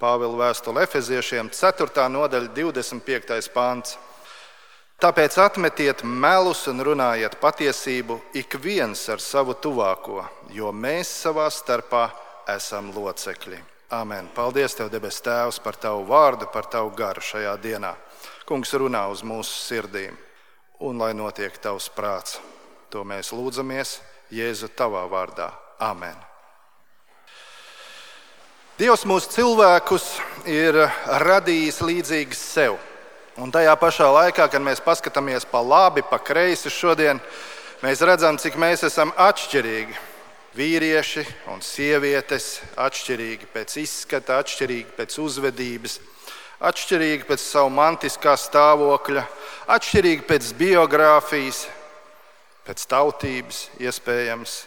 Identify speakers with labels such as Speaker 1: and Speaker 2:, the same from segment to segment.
Speaker 1: Pāvila vēstule Efeziešiem, 4. nodaļa, 25. pants. Tāpēc atmetiet melus un runājiet patiesību ik viens ar savu tuvāko, jo mēs savā starpā esam locekļi. Āmen. Paldies Tev, debes Tēvs, par Tavu vārdu, par Tavu garu šajā dienā. Kungs, runā uz mūsu sirdīm, un lai notiek Tavs prāts. To mēs lūdzamies Jēzu Tavā vārdā. Āmen. Dievs mūsu cilvēkus ir radījis līdzīgus sev. Un tajā pašā laikā, kad mēs paskatāmies pa labi, pa kreisi šodien, mēs redzam, cik mēs esam atšķirīgi. Vīrieši un sievietes atšķirīgi pēc izskata, atšķirīgi pēc uzvedības, atšķirīgi pēc savu mantiskā stāvokļa, atšķirīgi pēc biogrāfijas, pēc tautības iespējams.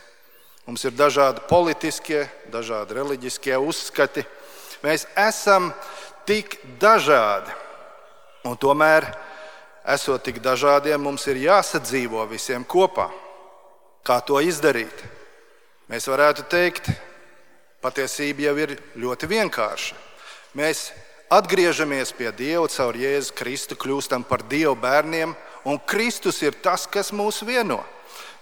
Speaker 1: Mums ir dažādi politiskie, dažādi reliģiskie uzskati. Mēs esam tik dažādi. Un tomēr, esot tik dažādiem, mums ir jāsadzīvo visiem kopā. Kā to izdarīt? Mēs varētu teikt, patiesība jau ir ļoti vienkārša. Mēs atgriežamies pie Dieva caur Jēzu Kristu, kļūstam par Dieva bērniem, un Kristus ir tas, kas mūs vieno.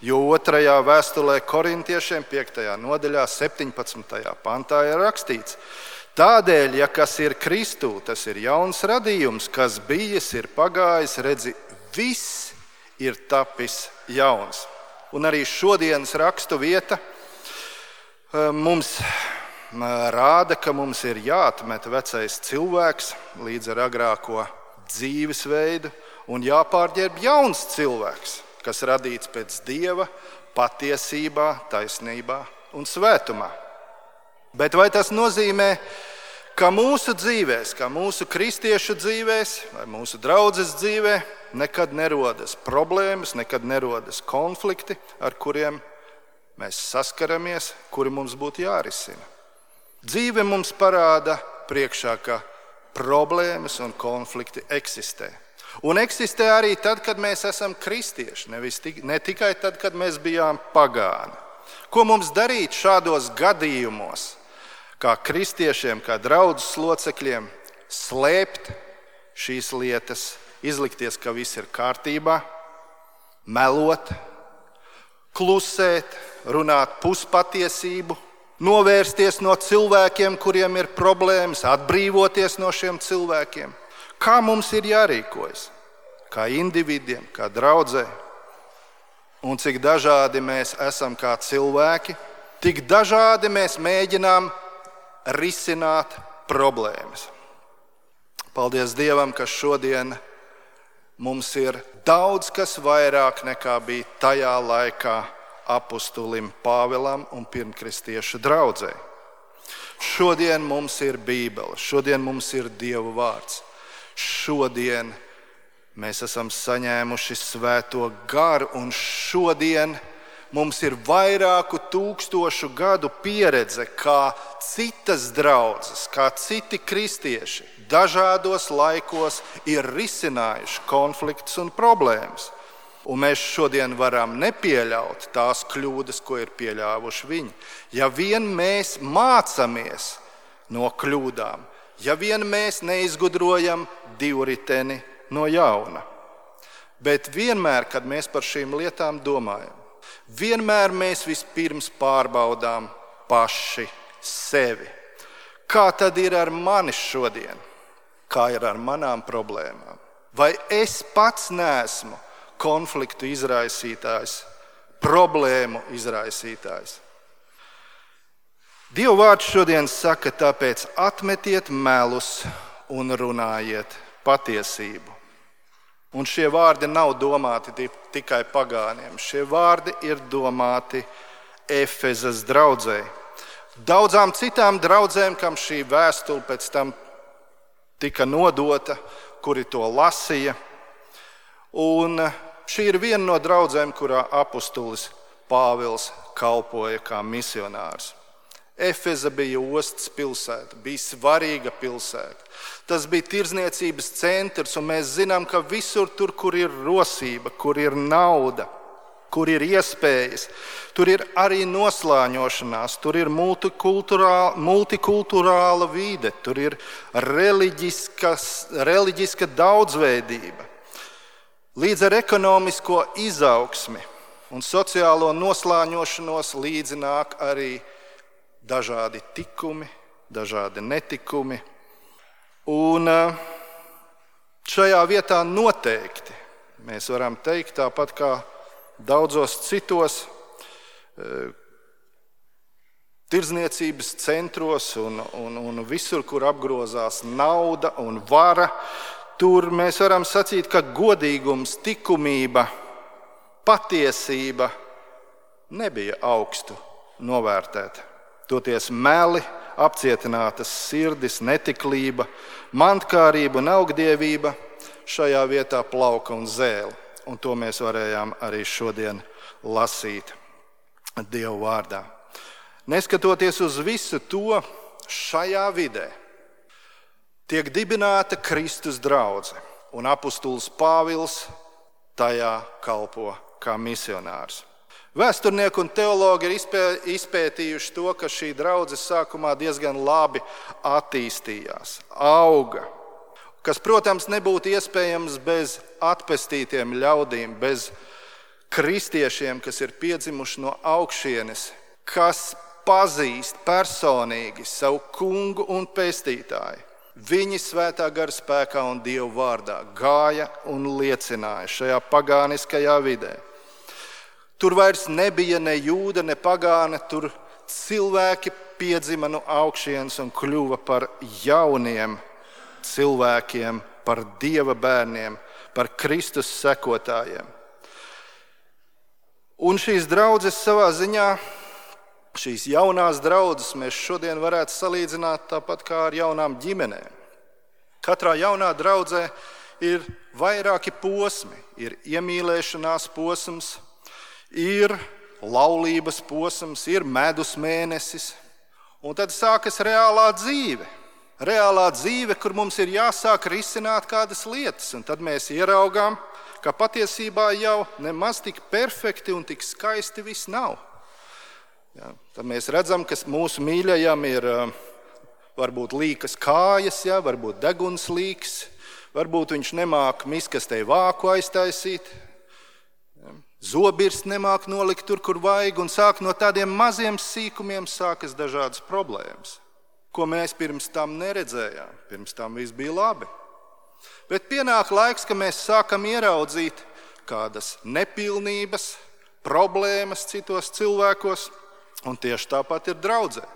Speaker 1: Jo 2. vēstulē Korintiešiem 5. nodaļā 17. pantā ir rakstīts: Tādēļ, ja kas ir Kristū, tas ir jauns radījums, kas bijis, ir pagājis, redzi, viss ir tapis jauns. Un arī šodienas rakstu vieta mums rāda, ka mums ir jāatmet vecais cilvēks līdz ar agrāko dzīvesveidu un jāpārģērb jauns cilvēks, kas radīts pēc Dieva patiesībā, taisnībā un svētumā. Bet vai tas nozīmē, ka mūsu dzīvēs, kā mūsu kristiešu dzīvēs vai mūsu draudzes dzīvē nekad nerodas problēmas, nekad nerodas konflikti, ar kuriem mēs saskaramies, kuri mums būtu jārisina? Dzīve mums parāda priekšā, ka problēmas un konflikti eksistē. Un eksistē arī tad, kad mēs esam kristieši, ne tikai tad, kad mēs bijām pagāni. Ko mums darīt šādos gadījumos, kā kristiešiem, kā draudzes locekļiem, slēpt šīs lietas, izlikties, ka viss ir kārtībā, melot, klusēt, runāt puspatiesību, novērsties no cilvēkiem, kuriem ir problēmas, atbrīvoties no šiem cilvēkiem? Kā mums ir jārīkojas? Kā individiem, kā draudzē? Un cik dažādi mēs esam kā cilvēki, tik dažādi mēs mēģinām risināt problēmas. Paldies Dievam, ka šodien mums ir daudz kas vairāk nekā bija tajā laikā apustulim Pāvilam un pirmkristiešu draudzei. Šodien mums ir Bībele, šodien mums ir Dieva vārds. Šodien mēs esam saņēmuši svēto garu, un šodien mums ir vairāku tūkstošu gadu pieredze, kā citas draudzes, kā citi kristieši dažādos laikos ir risinājuši konfliktus un problēmas. Un mēs šodien varam nepieļaut tās kļūdas, ko ir pieļāvuši viņi. Ja vien mēs mācāmies no kļūdām, ja vien mēs neizgudrojam divriteni no jauna. Bet vienmēr, kad mēs par šīm lietām domājam, vienmēr mēs vispirms pārbaudām paši sevi. Kā tad ir ar mani šodien? Kā ir ar manām problēmām? Vai es pats neesmu konfliktu izraisītājs, problēmu izraisītājs? Dieva vārds šodien saka, tāpēc atmetiet melus un runājiet patiesību. Un šie vārdi nav domāti tikai pagāniem. Šie vārdi ir domāti Efezas draudzei. Daudzām citām draudzēm, kam šī vēstule pēc tam tika nodota, kuri to lasīja. Un šī ir viena no draudzēm, kurā apustulis Pāvils kalpoja kā misionārs. Efeza bija ostas pilsēta, bija svarīga pilsēta. Tas bija tirdzniecības centrs, un mēs zinām, ka visur tur, kur ir rosība, kur ir nauda, kur ir iespējas, tur ir arī noslāņošanās, tur ir multikulturāla vide, tur ir reliģiska daudzveidība. Līdz ar ekonomisko izaugsmi un sociālo noslāņošanos līdzi nāk arī dažādi tikumi, dažādi netikumi. Un šajā vietā noteikti mēs varam teikt, tāpat kā daudzos citos tirdzniecības centros un visur, kur apgrozās nauda un vara, tur mēs varam sacīt, ka godīgums, likumība, patiesība nebija augstu novērtēta. Toties meli, apcietinātas sirdis, netiklība, mantkārība un augdievība šajā vietā plauka un zēla. Un to mēs varējām arī šodien lasīt Dieva vārdā. Neskatoties uz visu to, šajā vidē tiek dibināta Kristus draudze, un apustulis Pāvils tajā kalpo kā misionārs. Vēsturnieki un teologi ir izpētījuši to, ka šī draudze sākumā diezgan labi attīstījās, auga, kas, protams, nebūtu iespējams bez atpestītiem ļaudīm, bez kristiešiem, kas ir piedzimuši no augšienes, kas pazīst personīgi savu kungu un pestītāju. Viņi svētā gara spēkā un Dieva vārdā gāja un liecināja šajā pagāniskajā vidē. Tur vairs nebija ne jūda, ne pagāne, tur cilvēki piedzima no augšienes un kļuva par jauniem cilvēkiem, par Dieva bērniem, par Kristus sekotājiem. Un šīs draudzes savā ziņā, šīs jaunās draudzes mēs šodien varētu salīdzināt tāpat kā ar jaunām ģimenēm. Katrā jaunā draudzē ir vairāki posmi, ir iemīlēšanās posms, ir laulības posms, ir medus mēnesis, un tad sākas reālā dzīve. Reālā dzīve, kur mums ir jāsāk risināt kādas lietas, un tad mēs ieraugām, ka patiesībā jau nemaz tik perfekti un tik skaisti viss nav. Ja, tad mēs redzam, ka mūsu mīļajam ir varbūt līkas kājas, ja, varbūt deguns līks, varbūt viņš nemāk miskastei vāku aiztaisīt, zobirsts nemāk nolikt tur, kur vajag, un sāk no tādiem maziem sīkumiem sākas dažādas problēmas, ko mēs pirms tam neredzējām. Pirms tam viss bija labi. Bet pienāk laiks, ka mēs sākam ieraudzīt kādas nepilnības, problēmas citos cilvēkos, un tieši tāpat ir draudzē.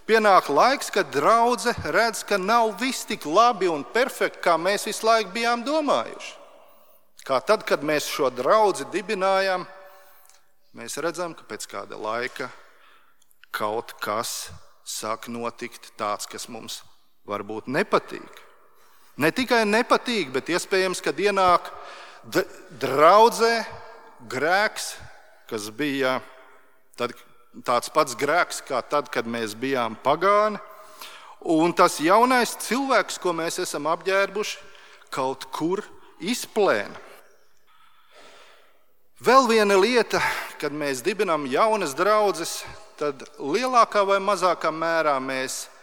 Speaker 1: Pienāk laiks, kad draudze redz, ka nav viss tik labi un perfekti, kā mēs visu laiku bijām domājuši. Kā tad, kad mēs šo draudzi dibinājām, mēs redzam, ka pēc kāda laika kaut kas sāk notikt tāds, kas mums varbūt nepatīk. Ne tikai nepatīk, bet iespējams, kad ienāk draudzē grēks, kas bija tāds pats grēks, kā tad, kad mēs bijām pagāni, un tas jaunais cilvēks, ko mēs esam apģērbuši, kaut kur izplēna. Vēl viena lieta, kad mēs dibinām jaunas draudzes, tad lielākā vai mazākā mērā mēs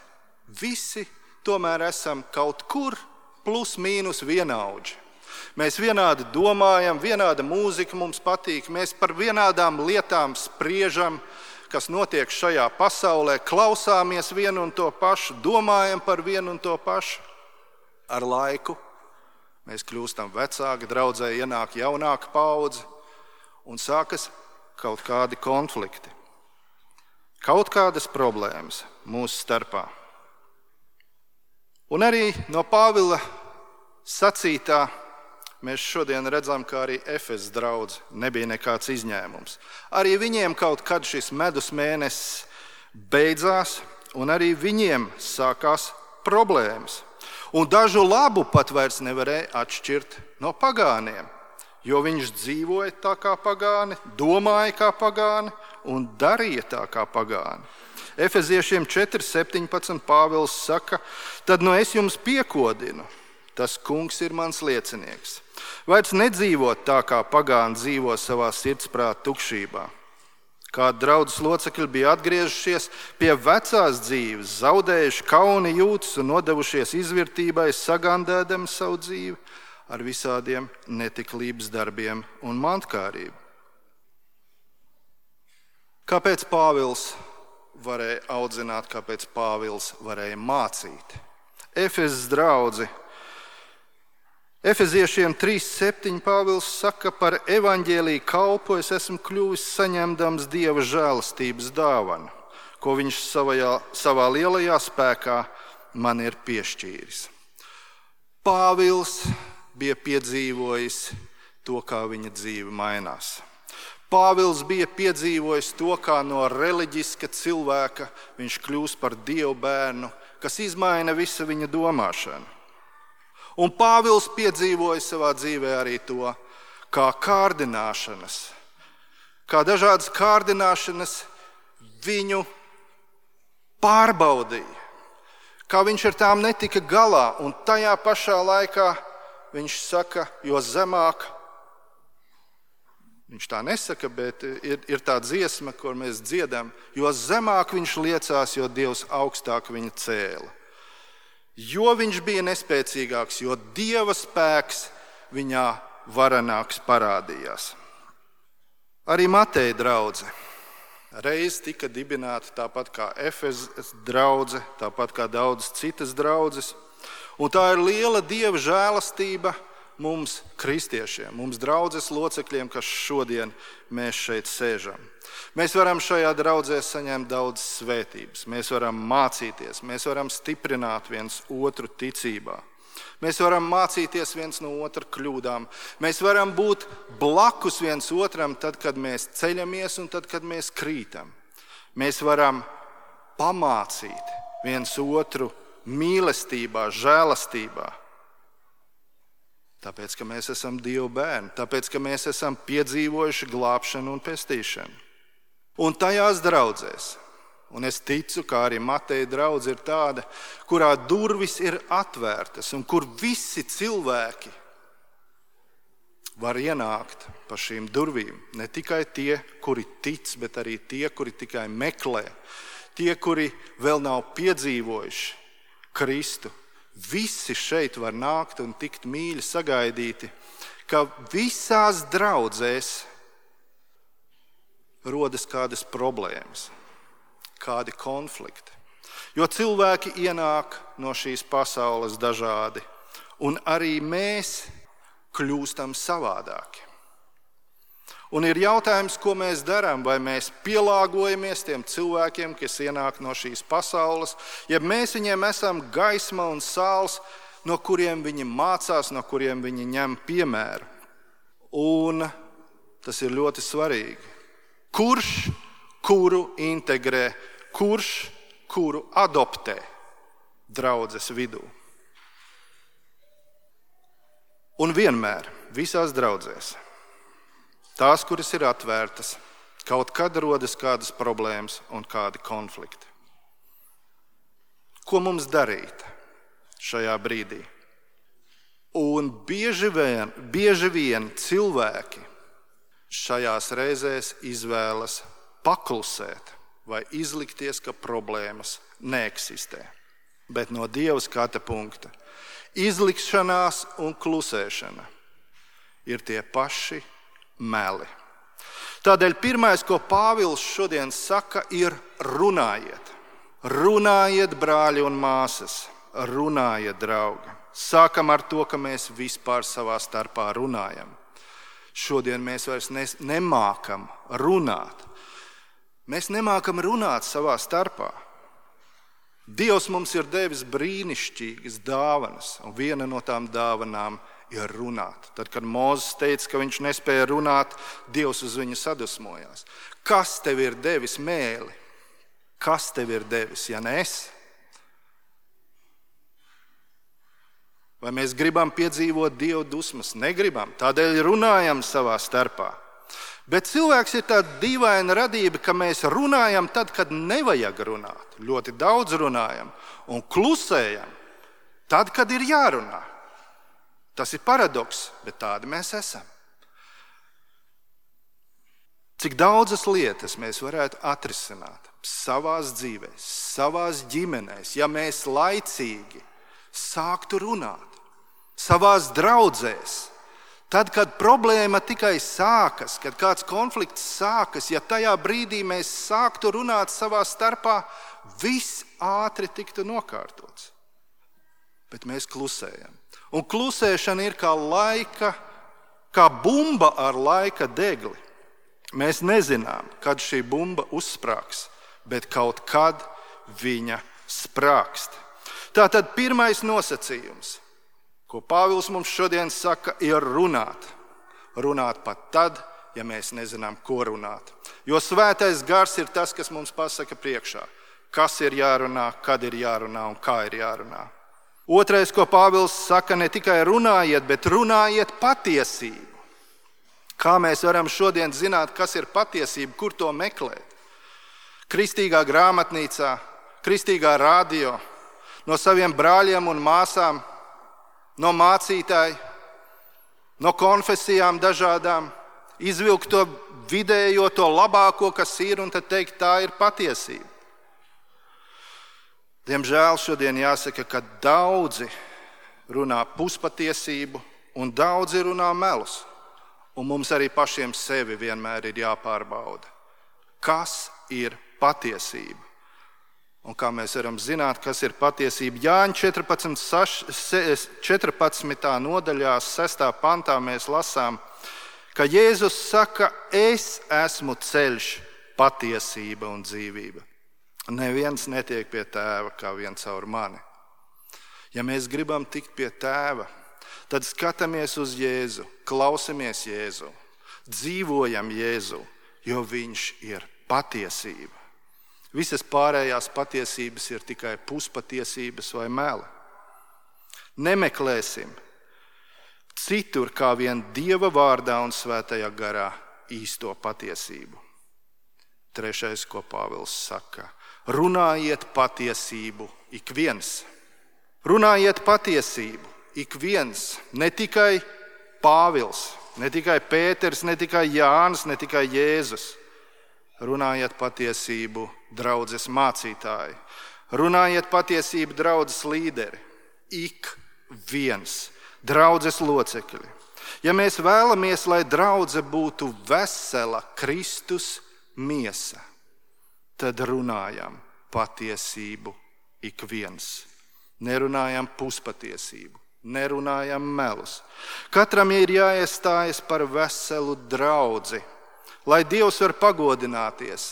Speaker 1: visi tomēr esam kaut kur plus mīnus vienaudži. Mēs vienādi domājam, vienāda mūzika mums patīk, mēs par vienādām lietām spriežam, kas notiek šajā pasaulē, klausāmies vienu un to pašu, domājam par vienu un to pašu. Ar laiku mēs kļūstam vecāki, draudzē ienāk jaunāka paudze, un sākas kaut kādi konflikti, kaut kādas problēmas mūsu starpā. Un arī no Pāvila sacītā mēs šodien redzam, ka arī Efesas draudze nebija nekāds izņēmums. Arī viņiem kaut kad šis medus mēnesis beidzās, un arī viņiem sākās problēmas. Un dažu labu pat vairs nevarēja atšķirt no pagāniem, jo viņš dzīvoja tā kā pagāni, domāja kā pagāni un darīja tā kā pagāni. Efeziešiem 4:17 Pāvils saka, tad es jums piekodinu, Tas kungs ir mans liecinieks. Vairs nedzīvot tā, kā pagāni dzīvo savā sirdsprāta tukšībā. Kādi draudzes locekļi bija atgriežušies pie vecās dzīves, zaudējuši kauni jūtas un nodevušies izvirtībai, sagandēdami savu dzīvi ar visādiem netiklības darbiem un mantkārību. Kāpēc Pāvils varēja audzināt, kāpēc Pāvils varēja mācīt? Efezes draudzi. Efeziešiem 3:7 Pāvils saka, par evaņģēliju kalpu es esmu kļuvis saņemdams Dieva žēlastības dāvanu, ko viņš savā lielajā spēkā man ir piešķīris. Pāvils bija piedzīvojis to, kā viņa dzīve mainās. Pāvils bija piedzīvojis to, kā no reliģiska cilvēka viņš kļūst par Dievu bērnu, kas izmaina visu viņa domāšanu. Un Pāvils piedzīvoja savā dzīvē arī to, kā kārdināšanas, kā dažādas kārdināšanas viņu pārbaudīja, kā viņš ar tām netika galā. Un tajā pašā laikā viņš saka, jo zemāk, viņš tā nesaka, bet ir tā dziesma, kur mēs dziedam, jo zemāk viņš liecās, jo Dievs augstāk viņu cēla. Jo viņš bija nespēcīgāks, jo Dieva spēks viņā varenāks parādījās. Arī Mateja draudze reiz tika dibināta tāpat kā Efezes draudze, tāpat kā daudzas citas draudzes. Un tā ir liela Dieva žēlastība mums, kristiešiem, mums draudzes locekļiem, kas šodien mēs šeit sēžam. Mēs varam šajā draudzē saņemt daudz svētības, mēs varam mācīties, mēs varam stiprināt viens otru ticībā. Mēs varam mācīties viens no otra kļūdām, mēs varam būt blakus viens otram tad, kad mēs ceļamies un tad, kad mēs krītam. Mēs varam pamācīt viens otru mīlestībā, žēlastībā. Tāpēc, ka mēs esam Dieva bērni, tāpēc, ka mēs esam piedzīvojuši glābšanu un pestīšanu. Un tajās draudzēs, un es ticu, ka arī Mateja draudze ir tāda, kurā durvis ir atvērtas un kur visi cilvēki var ienākt pa šīm durvīm. Ne tikai tie, kuri tic, bet arī tie, kuri tikai meklē, tie, kuri vēl nav piedzīvojuši Kristu. Visi šeit var nākt un tikt mīļi sagaidīti, ka visās draudzēs rodas kādas problēmas, kādi konflikti. Jo cilvēki ienāk no šīs pasaules dažādi, un arī mēs kļūstam savādāki. Un ir jautājums, ko mēs darām, vai mēs pielāgojamies tiem cilvēkiem, kas ienāk no šīs pasaules, ja mēs viņiem esam gaisma un sāls, no kuriem viņi mācās, no kuriem viņi ņem piemēru. Un tas ir ļoti svarīgi. Kurš kuru integrē, kurš kuru adoptē draudzes vidū. Un vienmēr, visās draudzēs, tās, kuras ir atvērtas, kaut kad rodas kādas problēmas un kādi konflikti. Ko mums darīt šajā brīdī? Un bieži vien cilvēki šajās reizēs izvēlas paklusēt vai izlikties, ka problēmas neeksistē. Bet no Dieva skata punkta izlikšanās un klusēšana ir tie paši meli. Tādēļ pirmais, ko Pāvils šodien saka, ir runājiet. Runājiet, brāļi un māsas, runājiet, draugi. Sākam ar to, ka mēs vispār savā starpā runājam. Šodien mēs vairs nemākam runāt. Mēs nemākam runāt savā starpā. Dievs mums ir devis brīnišķīgas dāvanas, un viena no tām dāvanām ir runāt. Tad, kad Mūzes teica, ka viņš nespēja runāt, Dievs uz viņu sadusmojās. Kas tev ir devis mēli? Kas tev ir devis, ja ne es? Vai mēs gribam piedzīvot Dieva dusmas? Negribam, tādēļ runājam savā starpā. Bet cilvēks ir tāda dīvaina radība, ka mēs runājam tad, kad nevajag runāt. Ļoti daudz runājam un klusējam tad, kad ir jārunā. Tas ir paradoks, bet tādi mēs esam. Cik daudzas lietas mēs varētu atrisināt savās dzīvēs, savās ģimenēs, ja mēs laicīgi sāktu runāt savās draudzēs. Tad, kad problēma tikai sākas, kad kāds konflikts sākas, ja tajā brīdī mēs sāktu runāt savā starpā, viss ātri tiktu nokārtots. Bet mēs klusējam. Un klusēšana ir kā bumba ar laika degli. Mēs nezinām, kad šī bumba uzsprāgs, bet kaut kad viņa sprāgst. Tātad pirmais nosacījums, ko Pāvils mums šodien saka, ir runāt. Runāt pat tad, ja mēs nezinām, ko runāt. Jo svētais gars ir tas, kas mums pasaka priekšā, kas ir jārunā, kad ir jārunā un kā ir jārunā. Otrais, ko Pāvils saka, ne tikai runājiet, bet runājiet patiesību. Kā mēs varam šodien zināt, kas ir patiesība, kur to meklēt? Kristīgā grāmatnīcā, kristīgā radio, no saviem brāļiem un māsām, no mācītāja, no konfesijām dažādām, izvilkt to vidējo, to labāko, kas ir, un tad teikt, tā ir patiesība. Diemžēl šodien jāsaka, ka daudzi runā puspatiesību un daudzi runā melus. Un mums arī pašiem sevi vienmēr ir jāpārbauda, kas ir patiesība. Un kā mēs varam zināt, kas ir patiesība, Jāņa 14. nodaļā, 6. pantā mēs lasām, ka Jēzus saka, es esmu ceļš, patiesība un dzīvība. Neviens netiek pie tēva kā vien caur mani. Ja mēs gribam tikt pie tēva, tad skatāmies uz Jēzu, klausamies Jēzu, dzīvojam Jēzu, jo viņš ir patiesība. Visas pārējās patiesības ir tikai puspatiesības vai meli. Nemeklēsim citur kā vien Dieva vārdā un svētajā garā īsto patiesību. Trešais, ko Pāvils saka, runājiet patiesību ik viens. Runājiet patiesību. Ik viens, ne tikai Pāvils, ne tikai Pēters, ne tikai Jānis, ne tikai Jēzus. Runājiet patiesību, draudzes mācītāji. Runājiet patiesību, draudzes līderi. Ik viens, draudzes locekļi. Ja mēs vēlamies, lai draudze būtu vesela Kristus miesa, tad runājam patiesību ik viens. Nerunājam puspatiesību. Nerunājam melus. Katram ir jāiestājas par veselu draudzi, lai Dievs var pagodināties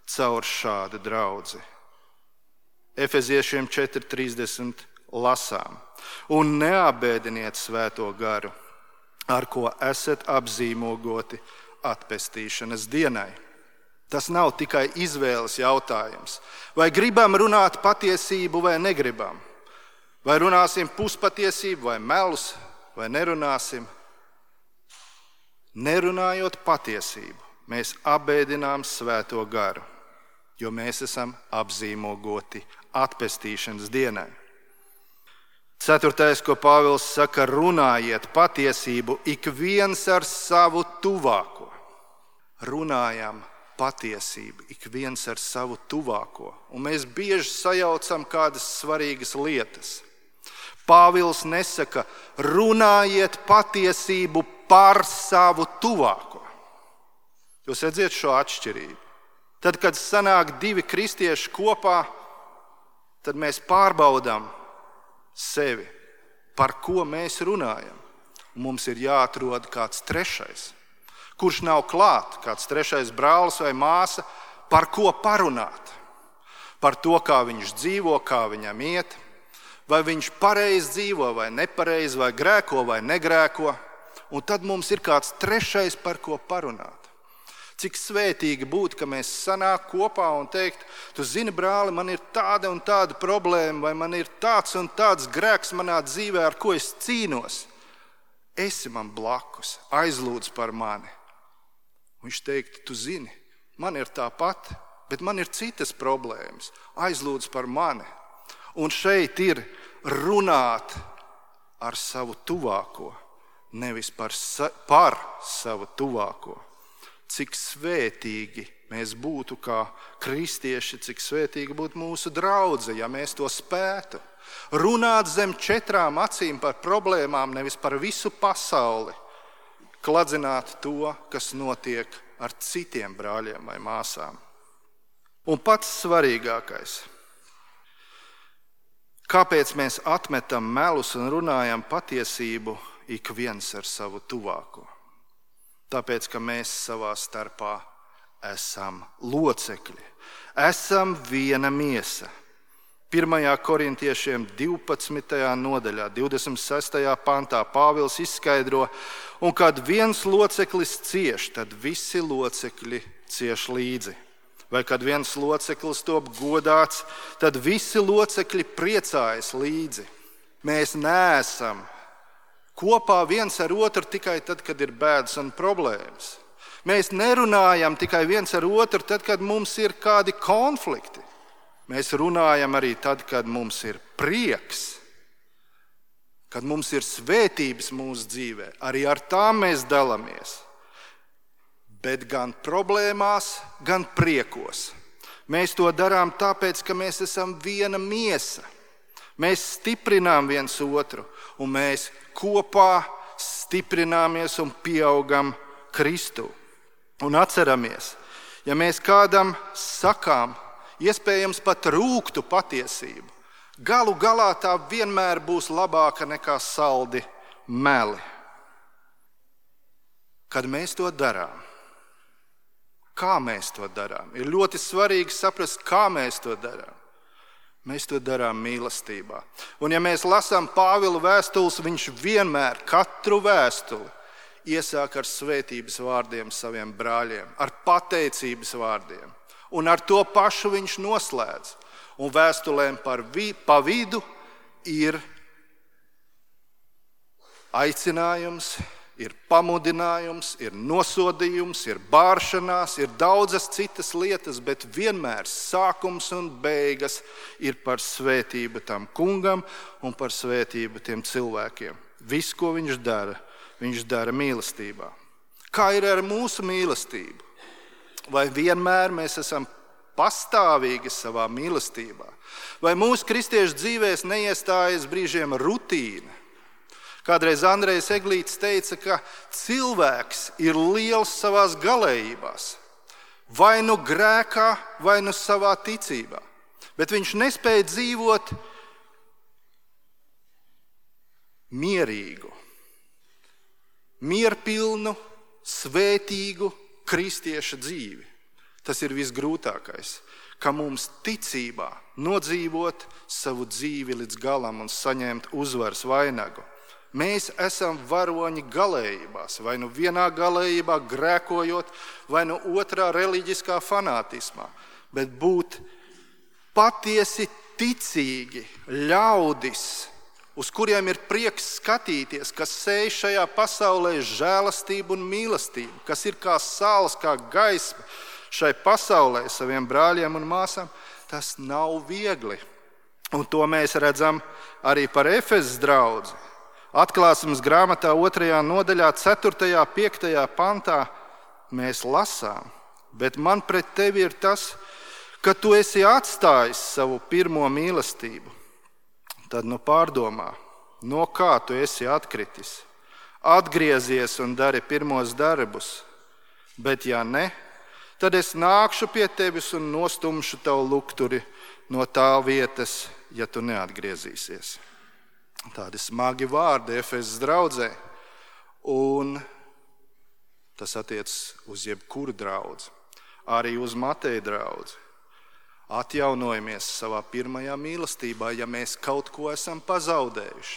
Speaker 1: caur šādu draudzi. Efeziešiem 4:30 lasām. Un neapbēdiniet svēto garu, ar ko esat apzīmogoti atpestīšanas dienai. Tas nav tikai izvēles jautājums. Vai gribam runāt patiesību vai negribam? Vai runāsim puspatiesību vai melus, vai nerunāsim? Nerunājot patiesību, mēs apbēdinām svēto garu, jo mēs esam apzīmogoti atpestīšanas dienai. Ceturtais, ko Pāvils saka, runājiet patiesību ik viens ar savu tuvāko. Runājam patiesību ik viens ar savu tuvāko. Un mēs bieži sajaucam kādas svarīgas lietas. Pāvils nesaka, runājiet patiesību par savu tuvāko. Jūs redzat šo atšķirību. Tad, kad sanāk divi kristieši kopā, tad mēs pārbaudām sevi, par ko mēs runājam. Mums ir jāatrod kāds trešais, kurš nav klāt, kāds trešais brālis vai māsa, par ko parunāt. Par to, kā viņš dzīvo, kā viņam iet, vai viņš pareizi dzīvo vai nepareizi, vai grēko vai negrēko. Un tad mums ir kāds trešais, par ko parunāt. Cik svētīgi būtu, ka mēs sanāk kopā un teikt, tu zini, brāli, man ir tāda un tāda problēma, vai man ir tāds un tāds grēks manā dzīvē, ar ko es cīnos. Esi man blakus, aizlūdz par mani. Viņš teikt, tu zini, man ir tāpat, bet man ir citas problēmas. Aizlūdz par mani. Un šeit ir runāt ar savu tuvāko, nevis par savu tuvāko. Cik svētīgi mēs būtu kā kristieši, cik svētīgi būtu mūsu draudze, ja mēs to spētu. Runāt zem 4 acīm par problēmām, nevis par visu pasauli. Kladzināt to, kas notiek ar citiem brāļiem vai māsām. Un pats svarīgākais. Kāpēc mēs atmetam melus un runājam patiesību ik viens ar savu tuvāko? Tāpēc, ka mēs savā starpā esam locekļi. Esam viena miesa. 1. Korintiešiem 12. nodaļā, 26. pantā Pāvils izskaidro, un kad viens loceklis cieš, tad visi locekļi cieš līdzi. Vai kad viens loceklis top godāts, tad visi locekļi priecājas līdzi. Mēs neesam kopā viens ar otru tikai tad, kad ir bēdas un problēmas. Mēs nerunājam tikai viens ar otru tad, kad mums ir kādi konflikti. Mēs runājam arī tad, kad mums ir prieks, kad mums ir svētības mūsu dzīvē. Arī ar tām mēs dalāmies. Bet gan problēmās, gan priekos. Mēs to darām tāpēc, ka mēs esam viena miesa. Mēs stiprinām viens otru, un mēs kopā stiprināmies un pieaugam Kristu. Un atceramies, ja mēs kādam sakām, iespējams pat rūgtu patiesību, galu galā tā vienmēr būs labāka nekā saldi meli. Kad mēs to darām, kā mēs to darām, ir ļoti svarīgi saprast, kā mēs to darām. Mēs to darām mīlestībā. Un ja mēs lasām Pāvila vēstules, viņš vienmēr katru vēstuli iesāk ar svētības vārdiem saviem brāļiem, ar pateicības vārdiem. Un ar to pašu viņš noslēdz. Un vēstulēm pa vidu ir aicinājums, ir pamudinājums, ir nosodījums, ir bāršanās, ir daudzas citas lietas, bet vienmēr sākums un beigas ir par svētību tam kungam un par svētību tiem cilvēkiem. Viss, ko viņš dara mīlestībā. Kā ir ar mūsu mīlestību? Vai vienmēr mēs esam pastāvīgi savā mīlestībā? Vai mūsu kristiešu dzīvēs neiestājas brīžiem rutīna? Kādreiz Andrejs Eglītis teica, ka cilvēks ir liels savās galējībās. Vai nu grēkā, vai nu savā ticībā. Bet viņš nespēja dzīvot mierīgu, mierpilnu, svētīgu kristieša dzīvi. Tas ir visgrūtākais, ka mums ticībā nodzīvot savu dzīvi līdz galam un saņemt uzvaras vainagu. Mēs esam varoņi galējībās, vai nu vienā galējībā grēkojot, vai nu otrā reliģiskā fanātismā. Bet būt patiesi ticīgi ļaudis, uz kuriem ir prieks skatīties, kas sēž šajā pasaulē žēlastību un mīlestību, kas ir kā saules, kā gaisma šai pasaulē saviem brāļiem un māsām, tas nav viegli. Un to mēs redzam arī par Efezas draudzi. Atklāsmes grāmatā 2. nodaļā 4. 5. pantā mēs lasām, bet man pret tevi ir tas, ka tu esi atstājis savu pirmo mīlestību. Tad nu pārdomā, no kā tu esi atkritis. Atgriezies un dari pirmos darbus, bet ja ne, tad es nākšu pie tevis un nostumšu tavu lukturi no tā vietas, ja tu neatgriezīsies. Tādi smagi vārdi Efezas draudzē, un tas attiecas uz jebkuru draudzi, arī uz Mateja draudzi. Atjaunojamies savā pirmajā mīlestībā, ja mēs kaut ko esam pazaudējuši.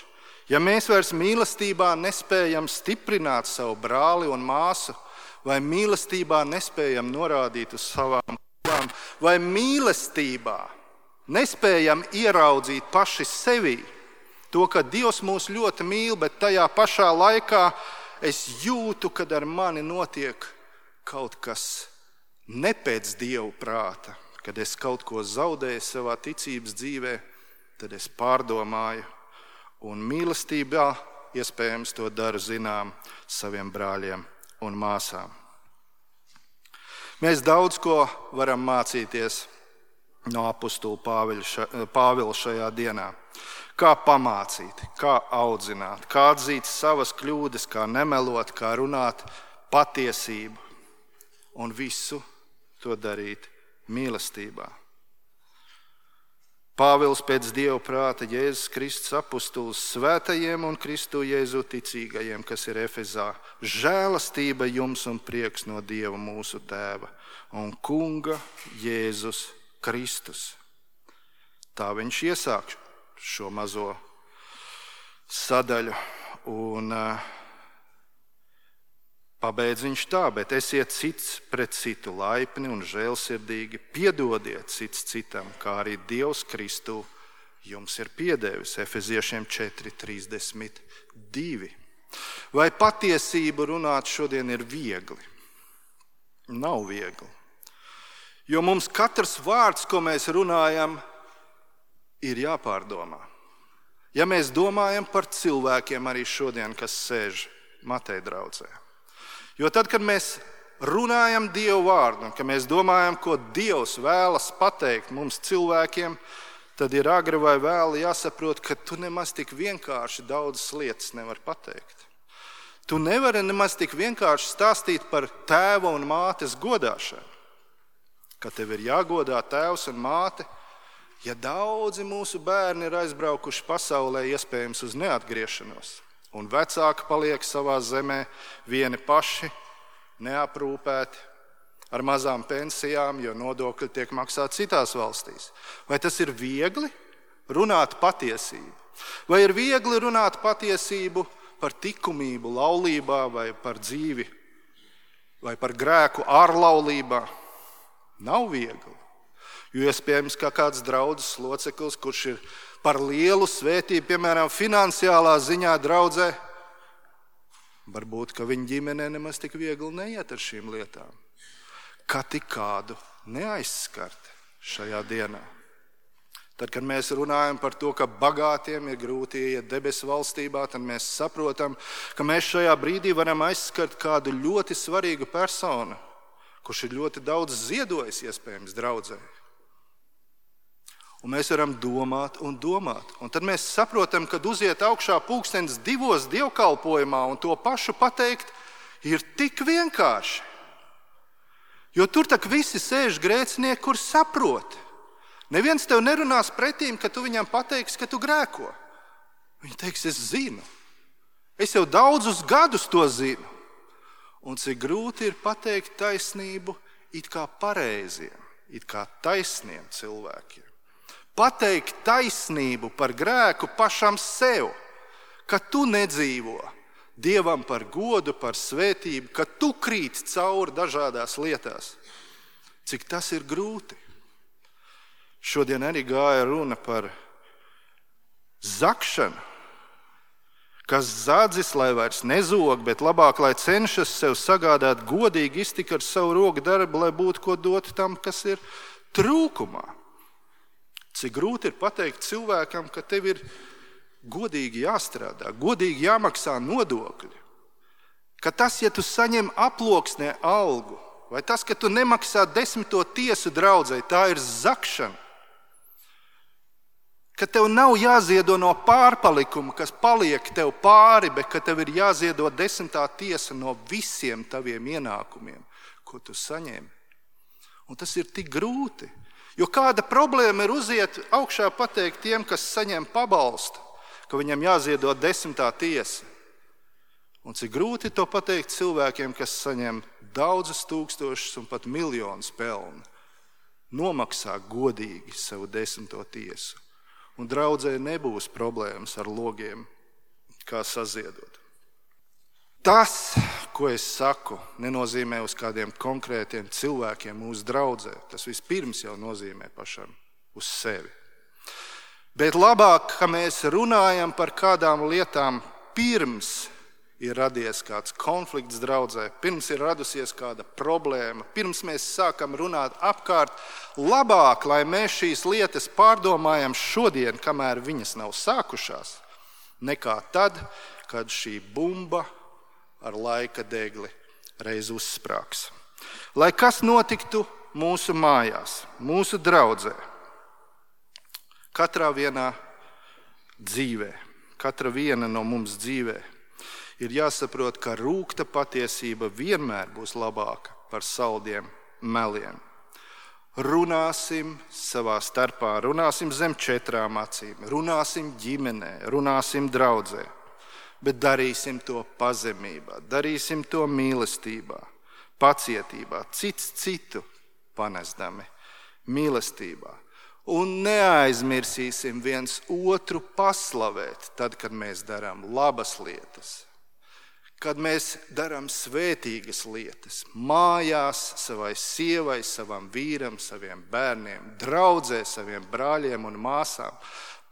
Speaker 1: Ja mēs vairs mīlestībā nespējam stiprināt savu brāli un māsu, vai mīlestībā nespējam norādīt uz savām kļūdām, vai mīlestībā nespējam ieraudzīt paši sevī, to, ka Dievs mūs ļoti mīl, bet tajā pašā laikā es jūtu, kad ar mani notiek kaut kas ne pēc Dieva prāta. Kad es kaut ko zaudēju savā ticības dzīvē, tad es pārdomāju un mīlestībā iespējams to daru zinām saviem brāļiem un māsām. Mēs daudz ko varam mācīties no apustuļa Pāvila šajā dienā. Kā pamācīt, kā audzināt, kā atzīt savas kļūdas, kā nemelot, kā runāt patiesību un visu to darīt mīlestībā. Pāvils pēc Dieva prāta Jēzus Kristus apustulis svētajiem un Kristu Jēzu ticīgajiem, kas ir Efezā. Žēlastība jums un prieks no Dieva mūsu Tēva un Kunga Jēzus Kristus. Tā viņš iesāk šo mazo sadaļu un pabeidz viņš tā, bet esiet cits pret citu laipni un žēlsirdīgi, piedodiet cits citam, kā arī Dievs Kristu jums ir piedevis. Efeziešiem 4:32. Vai patiesību runāt šodien ir viegli? Nav viegli. Jo mums katrs vārds, ko mēs runājam, ir jāpārdomā. Ja mēs domājam par cilvēkiem arī šodien, kas sēž Mateja draudzē. Jo tad, kad mēs runājam Dievu vārdu, un kad mēs domājam, ko Dievs vēlas pateikt mums cilvēkiem, tad ir agri vai vēli jāsaprot, ka tu nemaz tik vienkārši daudzas lietas nevar pateikt. Tu nevari nemaz tik vienkārši stāstīt par tēva un mātes godāšanu. Ka tev ir jāgodā tēvs un māte, ja daudzi mūsu bērni ir aizbraukuši pasaulē iespējams uz neatgriešanos. Un vecāki paliek savā zemē vieni paši, neaprūpēti, ar mazām pensijām, jo nodokļi tiek maksāti citās valstīs. Vai tas ir viegli runāt patiesību? Vai ir viegli runāt patiesību par likumību laulībā vai par dzīvi, vai par grēku ārlaulībā? Nav viegli. Jo iespējams, ka kāds draudzes loceklis, kurš ir par lielu svētību, piemēram, finansiālā ziņā draudzē, varbūt, ka viņa ģimenē nemaz tik viegli neiet ar šīm lietām. Kā tik kādu neaizskart šajā dienā. Tad, kad mēs runājam par to, ka bagātiem ir grūti iet debesu valstībā, tad mēs saprotam, ka mēs šajā brīdī varam aizskart kādu ļoti svarīgu personu, kurš ir ļoti daudz ziedojis iespējams draudzē. Un mēs varam domāt un domāt. Un tad mēs saprotam, kad uziet augšā 2:00 dievkalpojumā un to pašu pateikt ir tik vienkārši. Jo tur tak visi sēž grēcinieki, kur saprot. Neviens tev nerunās pretīm, ka tu viņam pateiksi, ka tu grēko. Viņi teiks, es zinu. Es jau daudzus gadus to zinu. Un cik grūti ir pateikt taisnību it kā pareiziem, it kā taisniem cilvēkiem. Pateikt taisnību par grēku pašam sev, ka tu nedzīvo Dievam par godu, par svētību, ka tu krīt cauri dažādās lietās. Cik tas ir grūti. Šodien arī gāja runa par zakšanu, kas zadzis, lai vairs nezog, bet labāk, lai cenšas sev sagādāt godīgi iztiku ar savu roku darbu, lai būtu ko dot tam, kas ir trūkumā. Cik grūti ir pateikt cilvēkam, ka tev ir godīgi jāstrādā, godīgi jāmaksā nodokļi. Ka tas, ja tu saņem aploksnē algu, vai tas, ka tu nemaksā 10. tiesu draudzei, tā ir zakšana. Ka tev nav jāziedo no pārpalikuma, kas paliek tev pāri, bet ka tev ir jāziedo 10. tiesa no visiem taviem ienākumiem, ko tu saņem. Un tas ir tik grūti. Jo kāda problēma ir uziet augšā pateikt tiem, kas saņem pabalstu, ka viņam jāziedo 10. tiesa. Un cik grūti to pateikt cilvēkiem, kas saņem daudzus tūkstošus un pat miljonus pelnu. Nomaksā godīgi savu 10. tiesu. Un draudzē nebūs problēmas ar logiem, kā saziedot. Tas, ko es saku, nenozīmē uz kādiem konkrētiem cilvēkiem mūsu draudzē. Tas vispirms jau nozīmē pašam uz sevi. Bet labāk, ka mēs runājam par kādām lietām pirms ir radies kāds konflikts draudzē, pirms ir radusies kāda problēma, pirms mēs sākam runāt apkārt, labāk, lai mēs šīs lietas pārdomājam šodien, kamēr viņas nav sākušās, nekā tad, kad šī bumba ar laika degli reiz uzsprāgs. Lai kas notiktu mūsu mājās, mūsu draudzē, katrā vienā dzīvē, katra viena no mums dzīvē, ir jāsaprot, ka rūgta patiesība vienmēr būs labāka par saldiem meliem. Runāsim savā starpā, runāsim zem 4 acīm, runāsim ģimenē, runāsim draudzē, bet darīsim to pazemībā, darīsim to mīlestībā, pacietībā, cits citu panesdami mīlestībā. Un neaizmirsīsim viens otru paslavēt tad, kad mēs darām labas lietas. Kad mēs darām svētīgas lietas, mājās, savai sievai, savam vīram, saviem bērniem, draudzē, saviem brāļiem un māsām,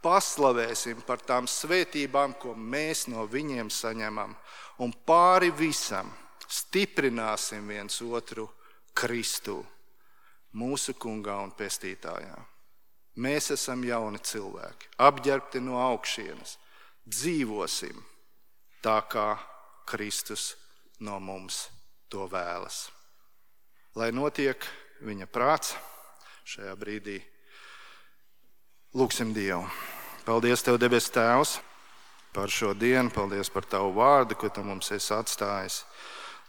Speaker 1: paslavēsim par tām svētībām, ko mēs no viņiem saņemam, un pāri visam stiprināsim viens otru Kristū, mūsu kungā un pestītājā. Mēs esam jauni cilvēki, apģērbti no augšienes, dzīvosim tā, kā Kristus no mums to vēlas. Lai notiek viņa prāts šajā brīdī. Lūksim Dievu. Paldies Tev, debes Tēvs, par šo dienu. Paldies par Tavu vārdu, ko Tu mums esi atstājis.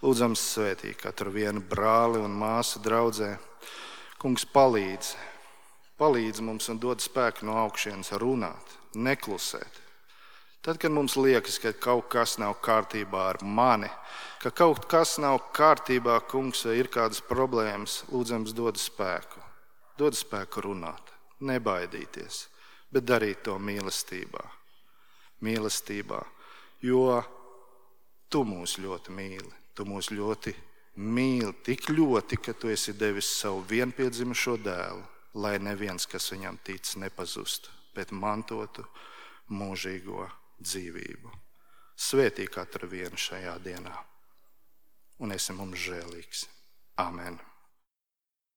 Speaker 1: Lūdzam svētī katru vienu brāli un māsu draudzē. Kungs, palīdz mums un dod spēku no augšienes runāt, neklusēt. Tad, kad mums liekas, ka kaut kas nav kārtībā ar mani, ka kaut kas nav kārtībā, Kungs, vai ir kādas problēmas, lūdzams dod spēku. Dod spēku runāt, nebaidīties, bet darīt to mīlestībā. Mīlestībā, jo Tu mūs ļoti mīli. Tu mūs ļoti mīli, tik ļoti, ka Tu esi devis savu vienpiedzimušo dēlu, lai neviens, kas viņam tic, nepazustu, bet mantotu mūžīgo dzīvību. Svētī katru vienu šajā dienā un esi mums žēlīgs. Amen.